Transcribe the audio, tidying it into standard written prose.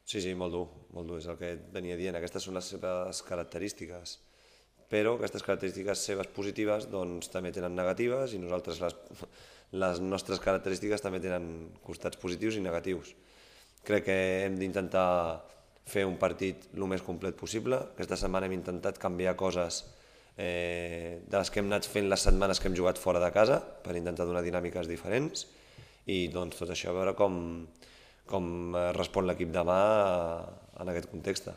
Sí, sí, molt dur, és el que et venia dient. Aquestes són les seves característiques, però aquestes característiques seves positives doncs, també tenen negatives i nosaltres les nostres característiques també tenen costats positius i negatius. Crec que hem d'intentar fer un partit el més complet possible. Aquesta setmana hem intentat canviar coses de les que hem anat fent les setmanes que hem jugat fora de casa per intentar donar dinàmiques diferents i doncs tot això a veure com respon l'equip demà en aquest context.